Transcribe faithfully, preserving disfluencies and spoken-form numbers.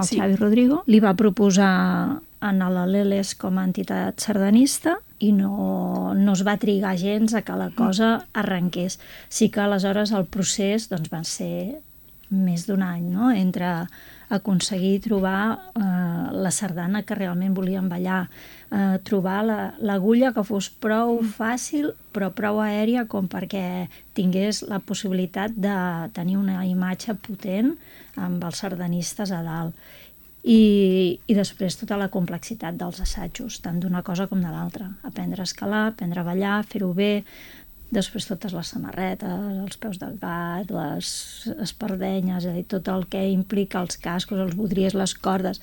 el sí. Xavi Rodrigo, li va proposar anar a l'A L E L E S com a entitat sardanista i no, no es va trigar gens a que la cosa arrenqués. Sí que aleshores el procés doncs, va ser més d'un any, no? Entre aconseguir trobar eh, la sardana que realment volien ballar, eh, trobar l'agulla la, que fos prou fàcil però prou aèria com perquè tingués la possibilitat de tenir una imatge potent amb els sardanistes a dalt. I, i després tota la complexitat dels assajos, tant d'una cosa com de l'altra. Aprendre a escalar, aprendre a ballar, fer-ho bé, després totes les samarretes, els peus de gat, les espardenyes, és a dir, tot el que implica els cascos, els bodriers, les cordes.